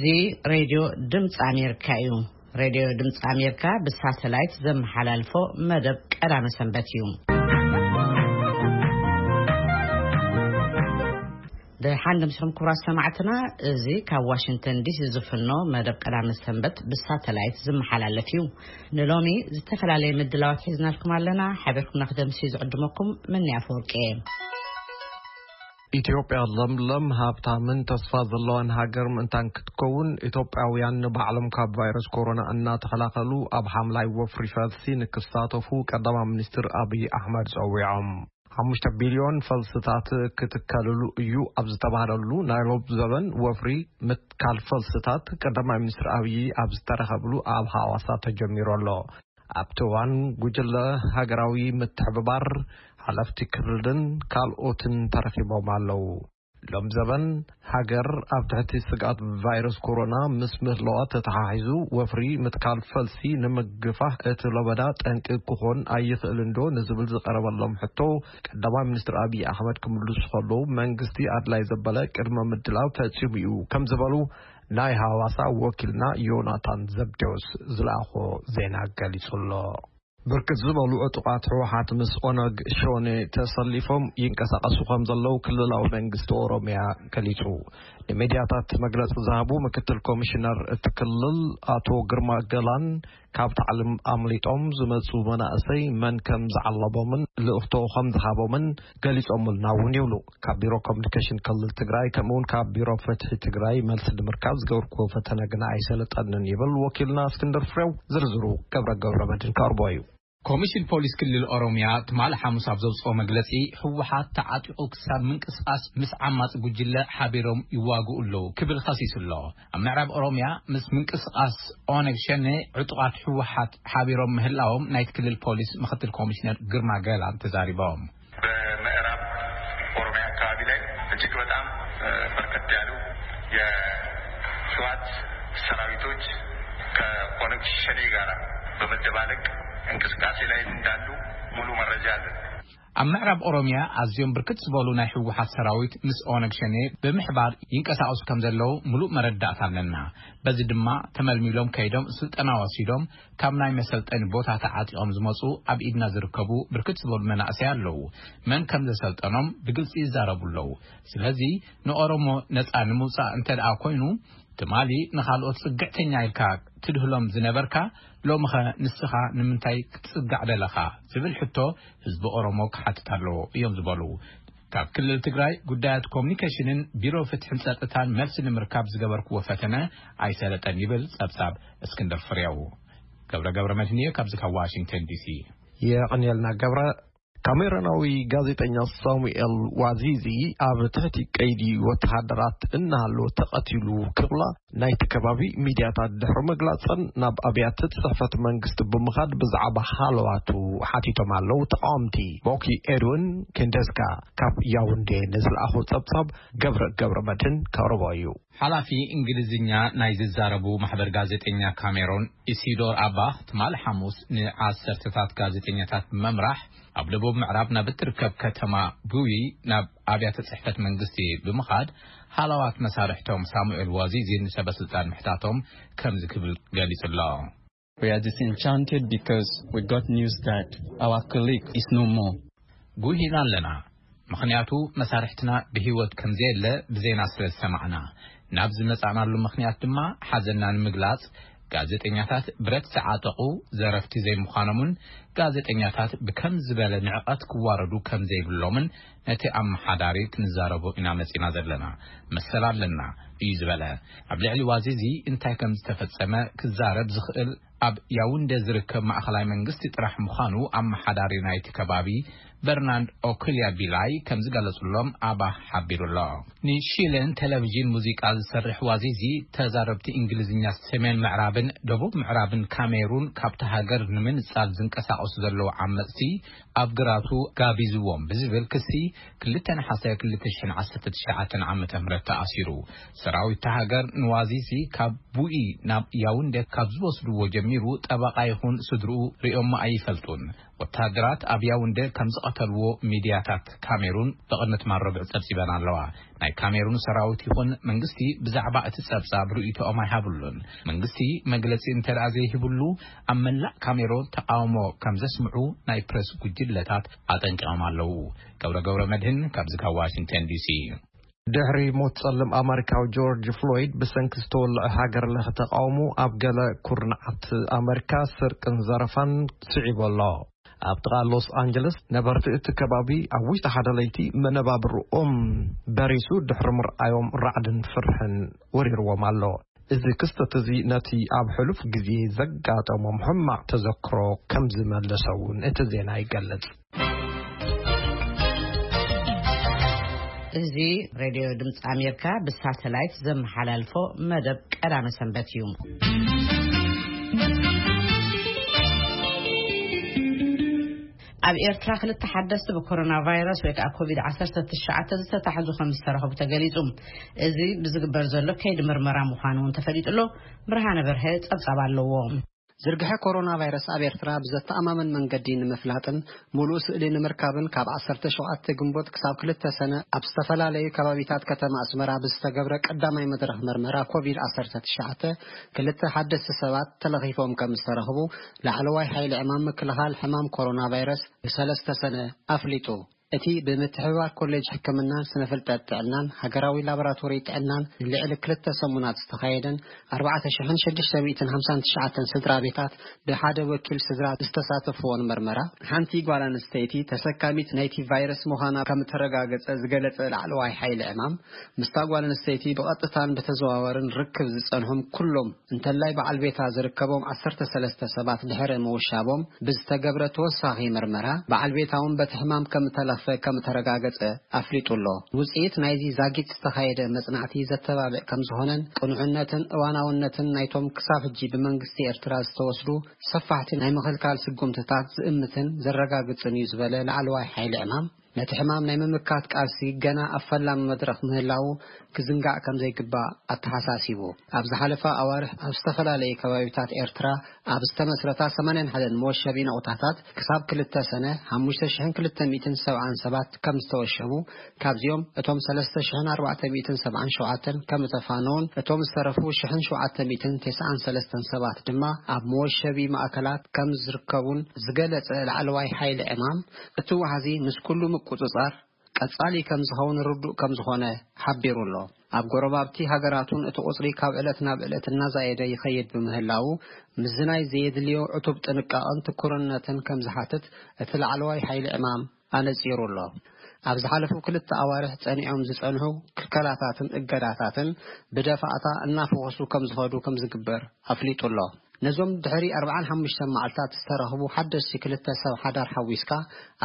እዚ ሬድዮ ድምፂ ኣሜሪካ እዩ። ሬድዮ ድምፂ ኣሜሪካ ብሳተላይት ዘመሓላልፎ መደብ ቀዳመ ሰንበት እዩ። ደሓን ድምስኹም ክቡራት ሰማዕትና፣ እዚ ካብ ዋሽንግተን ዲሲ ዝፍኖ መደብ ቀዳመ ሰንበት ብሳተላይት ዝመሓላለፍ እዩ። ንሎሚ ዝተፈላለየ ምድላዋት ሒዝናልኩም ኣለና። ሓቢርኩም ንክደምሲ ዝዕድመኩም መኒ ኣፈወርቂ እየ። ኢትዮጵያ ለምለም ሃብታምን ተስፋ ዘለዋን ሃገር ምእንታን ክትከውን፣ ኢትዮጵያውያን ንባዕሎም ካብ ቫይረስ ኮሮና እናተኸላኸሉ ኣብ ሓምላይ ወፍሪ ፈልሲ ንክሳተፉ ቀዳማይ ሚኒስትር ኣብይ ኣሕመድ ጸዊዖም። ሓሙሽተ ቢልዮን ፈልስታት ክትከልሉ እዩ ኣብ ዝተባህለሉ ናይ ሎብ ዘበን ወፍሪ ምትካል ፈልስታት፣ ቀዳማይ ሚኒስትር ኣብይ ኣብ ዝተረኸብሉ ኣብ ሃዋሳ ተጀሚሩ ኣሎ። ኣብቲ እዋን ጉጅለ ሃገራዊ ምትሕብባር፣ ሓለፍቲ ክልልን ካልኦትን ተረኺቦም ኣለዉ። ሎም ዘበን ሃገር ኣብ ትሕቲ ስግኣት ቫይረስ ኮሮና ምስ ምህለዋ ተተሓሒዙ፣ ወፍሪ ምትካል ፈልሲ ንምግፋሕ እቲ ለበዳ ጠንቂ ክኾን ኣይኽእልን ዶ ንዝብል ዝቐረበሎም ሕቶ፣ ቀዳማይ ሚኒስትር ኣብይ ኣሕመድ ክምልሱ ከለዉ፣ መንግስቲ ኣድላይ ዘበለ ቅድመ ምድላው ፈጺሙ እዩ ከም ዝበሉ ናይ ሃዋሳ ወኪልና ዮናታን ዘብዴዎስ ዝለኣኾ ዜና ገሊጹ ኣሎ። ብርክት ዝበሉ ዕጡቓት ህወሓት ምስ ኦነግ ሸኔ ተሰሊፎም ይንቀሳቐሱ ከም ዘለዉ ክልላዊ መንግስቲ ኦሮሚያ ገሊጹ። ንሚድያታት መግለጺ ዝሃቡ ምክትል ኮሚሽነር እቲ ክልል ኣቶ ግርማ ገላን፣ ካብ ታዕሊም ኣምሊጦም ዝመጹ መናእሰይ መን ከም ዝዓለቦምን ልእኽቶ ከም ዝሃቦምን ገሊጾምልና እውን ይብሉ። ካብ ቢሮ ኮሚኒኬሽን ክልል ትግራይ፣ ከምኡ እውን ካብ ቢሮ ፍትሒ ትግራይ መልሲ ንምርካብ ዝገበርኩዎ ፈተነ ግና ኣይሰለጠንን ይብል ወኪልና እስክንድር ፍሬው። ዝርዝሩ ገብረ ገብረ መድህን ከቕርቦ እዩ። ኮሚሽን ፖሊስ ክልል ኦሮሚያ ትማሊ ሓሙስ ኣብ ዘውፅኦ መግለፂ፣ ህወሓት ተዓጢቑ ክሳብ ምንቅስቓስ ምስ ዓማፂ ጉጅለ ሓቢሮም ይዋግኡ ኣለዉ ክብል ኸሲሱ ኣሎ። ኣብ ምዕራብ ኦሮሚያ ምስ ምንቅስቓስ ኦነግ ሸኔ ዕጡቓት ህወሓት ሓቢሮም ምህላዎም ናይቲ ክልል ፖሊስ ምክትል ኮሚሽነር ግርማ ገላን ተዛሪቦም። በምዕራብ ኦሮሚያ አካባቢ ላይ እጅግ በጣም በርከት ያሉ የህወሓት ሰራዊቶች ከኦነግ ሸኔ ጋር በመደባለቅ እንቅስቃሴ ላይ እንዳሉ ሙሉ መረጃ አለን። ኣብ ምዕራብ ኦሮሚያ ኣዝዮም ብርክት ዝበሉ ናይ ህወሓት ሰራዊት ምስ ኦነግ ሸኔ ብምሕባር ይንቀሳቐሱ ከም ዘለዉ ምሉእ መረዳእታ ኣለና። በዚ ድማ ተመልሚሎም ከይዶም ስልጠና ወሲዶም ካብ ናይ መሰልጠኒ ቦታ ተዓጢቖም ዝመፁ ኣብ ኢድና ዝርከቡ ብርክት ዝበሉ መናእሰይ ኣለዉ። መን ከም ዘሰልጠኖም ብግልፂ ይዛረቡ ኣለዉ። ስለዚ ንኦሮሞ ነፃ ንምውፃእ እንተ ደኣ ኮይኑ፣ ትማሊ ንኻልኦት ጽግዕተኛ ኢልካ ትድህሎም ዝነበርካ፣ ሎምኸ ንስኻ ንምንታይ ክትጽጋዕ ደለኻ? ዝብል ሕቶ ህዝቢ ኦሮሞ ክሓትት ኣለዎ እዮም ዝበሉ። ካብ ክልል ትግራይ ጉዳያት ኮሙኒኬሽንን ቢሮ ፍትሕን ጸጥታን መልሲ ንምርካብ ዝገበርክዎ ፈተነ ኣይሰለጠን ይብል ጸብጻብ እስክንድር ፍሬው። ገብረ ገብረ መድህን እየ ካብዚ ካብ ዋሽንግተን ዲሲ። የቐንየልና ገብረ። ካሜሮናዊ ጋዜጠኛ ሳሙኤል ዋዚዚ ኣብ ትሕቲ ቀይዲ ወተሃደራት እናሃለወ ተቐቲሉ ክብላ ናይቲ ከባቢ ሚድያታት ድሕሪ ምግላጸን፣ ናብ ኣብያተ ጽሕፈት መንግስቲ ብምኻድ ብዛዕባ ሃለዋቱ ሓቲቶም ኣለዉ ተቓወምቲ። ቦኪ ኤድዊን ኬንደስካ ካብ ያውንዴ ንዝለኣኾ ጸብጻብ ገብረ ገብረ መድህን ከቕርቦ እዩ። ሓላፊ እንግሊዝኛ ናይ ዝዛረቡ ማሕበር ጋዜጠኛ ካሜሮን ኢሲዶር ኣባኽ ትማሊ ሓሙስ ንዓሰርተታት ጋዜጠኛታት ብምምራሕ ኣብ ደቡብ ምዕራብ ናብ እትርከብ ከተማ ቡዊ ናብ ኣብያተ ጽሕፈት መንግስቲ ብምኻድ ሃለዋት መሳርሕቶም ሳሙኤል ዋዚዚ ንሰበ ስልጣን ምሕታቶም ከምዚ ክብል ገሊጹ ኣሎ። We are disenchanted because we got news that our colleague is no more. ጉሂና ኣለና፣ ምኽንያቱ መሳርሕትና ብህይወት ከም ዘየለ ብዜና ስለ ዝሰማዕና። ናብ ዝመጻእናሉ ምኽንያት ድማ ሓዘንና ንምግላጽ፣ ጋዜጠኛታት ብረት ዝዓጠቑ ዘረፍቲ ዘይምዃኖምን ጋዜጠኛታት ብከም ዝበለ ንዕቐት ክዋረዱ ከም ዘይብሎምን ነቲ ኣመሓዳሪ ክንዛረቦ ኢና መጺና ዘለና። መሰል ኣለና እዩ ዝበለ። ኣብ ልዕሊ ዋዚዚ እንታይ ከም ዝተፈጸመ ክዛረብ ዝኽእል ኣብ ያውንደ ዝርከብ ማእኸላይ መንግስቲ ጥራሕ ምዃኑ ኣመሓዳሪ ናይቲ ከባቢ በርናንድ ኦኩልያ ቢላይ ከም ዝገለጹሎም ኣባህ ሓቢሩ ኣሎ። ንሺለን ቴሌቪዥን ሙዚቃ ዝሰርሕ ዋዚዚ ተዛረብቲ እንግሊዝኛ ሰሜን ምዕራብን ደቡብ ምዕራብን ካሜሩን ካብቲ ሃገር ንምንጻል ዝንቀሳቐሱ ዘለዉ ዓመጽቲ ኣብ ግራቱ ጋቢዝዎም ብዝብል ክሲ ክልተ ነሓሰ ክልተ ሽሕን ዓሰርተ ትሽዓተን ዓመተ ምህረት ተኣሲሩ። ሰራዊት እታ ሃገር ንዋዚዚ ካብ ቡኢ ናብ ያውንደ ካብ ዝወስድዎ ጀሚሩ ቢሩ ጠበቓ ይኹን ስድርኡ ሪኦሞ ኣይፈልጡን። ወተሃደራት ኣብ ያውንደ ከም ዝቐተልዎ ሚድያታት ካሜሩን ብቕንት ማረብዕ ጸብጺበን ኣለዋ። ናይ ካሜሩን ሰራዊት ይኹን መንግስቲ ብዛዕባ እቲ ጸብጻብ ርእይቶኦም ኣይሃብሉን። መንግስቲ መግለጺ እንተ ደኣ ዘይሂብሉ፣ ኣብ መላእ ካሜሩን ተቓውሞ ከም ዘስምዑ ናይ ፕረስ ጉጅለታት ኣጠንቂቖም ኣለዉ። ገብረ ገብረ መድህን ካብዚ ካብ ዋሽንግተን ዲሲ። ድሕሪ ሞት ጸልም ኣመሪካዊ ጆርጅ ፍሎይድ ብሰንኪ ዝተወልዐ ሃገር ለኸ ተቓውሞ ኣብ ገለ ኩርናዓት ኣመሪካ ስርቅን ዘረፋን ስዒቡ ኣሎ። ኣብ ጥቓ ሎስ ኣንጀለስ ነበርቲ እቲ ከባቢ ኣብ ውሽጢ ሓደ ለይቲ መነባብርኦም በሪሱ ድሕሪ ምርኣዮም ራዕድን ፍርሕን ወሪርዎም ኣሎ። እዚ ክስተት እዚ ነቲ ኣብ ሕሉፍ ግዜ ዘጋጠሞም ሕማቕ ተዘክሮ ከም ዝመለሰ እውን እቲ ዜና ይገልጽ። እዚ ሬድዮ ድምፂ ኣሜሪካ ብሳተላይት ዘመሓላልፎ መደብ ቀዳመ ሰንበት እዩ። ኣብ ኤርትራ ክልተ ሓደስቲ ብኮሮና ቫይረስ ወይ ከዓ ኮቪድ ዓሰርተ ትሽዓተ ዝተታሕዙ ከም ዝተረኸቡ ተገሊጹ። እዚ ብዝግበር ዘሎ ከይዲ ምርመራ ምዃኑ እውን ተፈሊጡ ኣሎ። ብርሃነ በርሀ ጸብጻብ ኣለዎ። ዝርግሐ ኮሮና ቫይረስ ኣብ ኤርትራ ብዘተኣማምን መንገዲ ንምፍላጥን ምሉእ ስእሊ ንምርካብን ካብ ዓሰርተ ሸውዓተ ግንቦት ክሳብ ክልተ ሰነ ኣብ ዝተፈላለዩ ከባቢታት ከተማ ኣስመራ ብዝተገብረ ቀዳማይ መድረኽ መርመራ ኮቪድ ዓሰርተ ትሽዓተ ክልተ ሓደስቲ ሰባት ተለኺፎም ከም ዝተረኽቡ ላዕለዋይ ሓይሊ ዕማም ምክልኻል ሕማም ኮሮና ቫይረስ ብሰለስተ ሰነ ኣፍሊጡ። እቲ ብምትሕብባር ኮሌጅ ሕክምናን ስነ ፍልጠት ጥዕናን ሃገራዊ ላቦራቶሪ ጥዕናን ንልዕሊ ክልተ ሰሙናት ዝተኻየደን ኣርባዕተ ሽሕን ሽዱሽተ ሚእትን ሓምሳን ትሽዓተን ስድራ ቤታት ብሓደ ወኪል ስድራ ዝተሳተፍዎን መርመራ፣ ሓንቲ ጓል ኣንስተይቲ ተሰካሚት ናይቲ ቫይረስ ምዃና ከም እተረጋገጸ ዝገለጸ ላዕለዋይ ሓይሊ ዕማም፣ ምስታ ጓል ኣንስተይቲ ብቐጥታን ብተዘዋወርን ርክብ ዝጸንሖም ኩሎም እንተላይ በዓል ቤታ ዝርከቦም ዓሰርተ ሰለስተ ሰባት ድሕሪ ምውሻቦም ብዝተገብረ ተወሳኺ መርመራ፣ በዓል ቤታ እውን በቲ ሕማም ከም እተለኽፈ ከም እተረጋገጸ ኣፍሊጡ ኣሎ። ውጽኢት ናይዚ ዛጊት ዝተኻየደ መጽናዕቲ ዘተባብዕ ከም ዝኾነን ቅኑዕነትን እዋናውነትን ናይቶም ክሳብ ሕጂ ብመንግስቲ ኤርትራ ዝተወስዱ ሰፋሕቲ ናይ ምኽልካል ስጉምትታት ዝእምትን ዘረጋግጽን እዩ ዝበለ ላዕለዋይ ሓይሊ ዕማም፣ ነቲ ሕማም ናይ ምምካት ቃልሲ ገና ኣብ ፈላሚ መድረኽ ምህላዉ ክዝንጋዕ ከም ዘይግባእ ኣተሓሳሲቡ። ኣብ ዝሓለፋ ኣዋርሕ ኣብ ዝተፈላለዩ ከባቢታት ኤርትራ ኣብ ዝተመስረታ ሰማንያን ሓደን መወሸቢ ነቑጣታት ክሳብ ክልተ ሰነ ሓሙሽተ ሽሕን ክልተ ሚእትን ሰብዓን ሰባት ከም ዝተወሸቡ፣ ካብዚኦም እቶም ሰለስተ ሽሕን ኣርባዕተ ሚእትን ሰብዓን ሸውዓተን ከም ዝተፋነዉን እቶም ዝተረፉ ሽሕን ሸውዓተ ሚእትን ተስዓን ሰለስተን ሰባት ድማ ኣብ መወሸቢ ማእከላት ከም ዝርከቡን ዝገለጸ ላዕለዋይ ሓይሊ ዕማም፣ እቲ ዋሕዚ ምስ ኩሉ ምቁጽጻር ቀጻሊ ከም ዝኸውን ርዱእ ከም ዝኾነ ሓቢሩ ኣሎ። ኣብ ጎረባብቲ ሃገራቱን እቲ ቁጽሪ ካብ ዕለት ናብ ዕለት እናዛየደ ይኸይድ ብምህላዉ፣ ምስዚ ናይ ዘየድልዮ ዕቱብ ጥንቃቐን ትኩርነትን ከም ዝሓትት እቲ ላዕለዋይ ሓይሊ ዕማም ኣነጺሩ ኣሎ። ኣብ ዝሓለፉ ክልተ ኣዋርሕ ጸኒዖም ዝጸንሑ ክልከላታትን እገዳታትን ብደፋእታ እናፈኾሱ ከም ዝኸዱ ከም ዝግበር ኣፍሊጡ ኣሎ። ነዞም ድሕሪ ኣርብዓን ሓሙሽተን መዓልታት ዝተረኽቡ ሓደሽቲ ክልተ ሰብ ሓዳር ሓዊስካ፣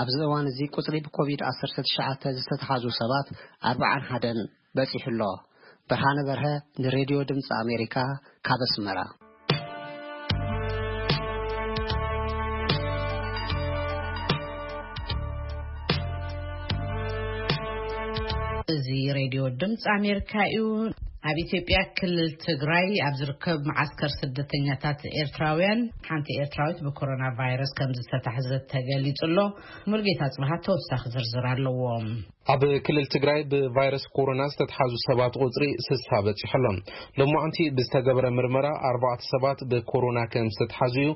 ኣብዚ እዋን እዚ ቁጽሪ ብኮቪድ ዓሰርተ ትሽዓተ ዝተተሓዙ ሰባት ኣርብዓን ሓደን በጺሑ ኣሎ። ብርሃነ በርሀ ንሬድዮ ድምፂ ኣሜሪካ ካብ ኣስመራ። እዚ ሬድዮ ድምፂ ኣሜሪካ እዩ። ኣብ ኢትዮጵያ ክልል ትግራይ ኣብ ዝርከብ መዓስከር ስደተኛታት ኤርትራውያን ሓንቲ ኤርትራዊት ብኮሮና ቫይረስ ከም ዝተታሕዘት ተገሊጹ ኣሎ። ሙልጌታ ጽብሃት ተወሳኺ ዝርዝር ኣለዎ። ኣብ ክልል ትግራይ ብቫይረስ ኮሮና ዝተትሓዙ ሰባት ቁጽሪ ስሳ በጺሑ ኣሎ። ሎማዓንቲ ብዝተገበረ ምርመራ ኣርባዕተ ሰባት ብኮሮና ከም ዝተትሓዙ እዩ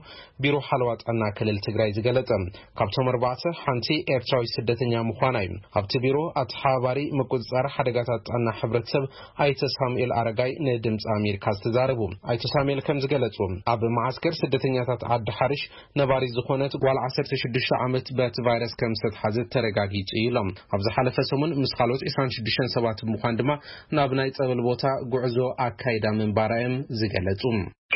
ቢሮ ሓለዋ ጥዕና ክልል ትግራይ ዝገለጸ። ካብቶም ኣርባዕተ ሓንቲ ኤርትራዊት ስደተኛ ምዃና እዩ። ኣብቲ ቢሮ ኣተሓባባሪ ምቁጽጻር ሓደጋታት ጥዕና ሕብረተሰብ ኣይተ ሳሙኤል ኣረጋይ ንድምፂ ኣሜሪካ ዝተዛረቡ። ኣይተ ሳሙኤል ከም ዝገለጹ፣ ኣብ መዓስከር ስደተኛታት ዓዲ ሓርሽ ነባሪት ዝኾነት ጓል ዓሰርተ ሽዱሽተ ዓመት በቲ ቫይረስ ከም ዝተትሓዘት ተረጋጊጹ እዩ ኢሎም። ኣብ ዝሓለፈ ሰሙን ምስ ካልኦት ዕስራን ሽዱሽተን ሰባት ብምዃን ድማ ናብ ናይ ጸበል ቦታ ጉዕዞ ኣካይዳ ምንባራ እዮም ዝገለጹ።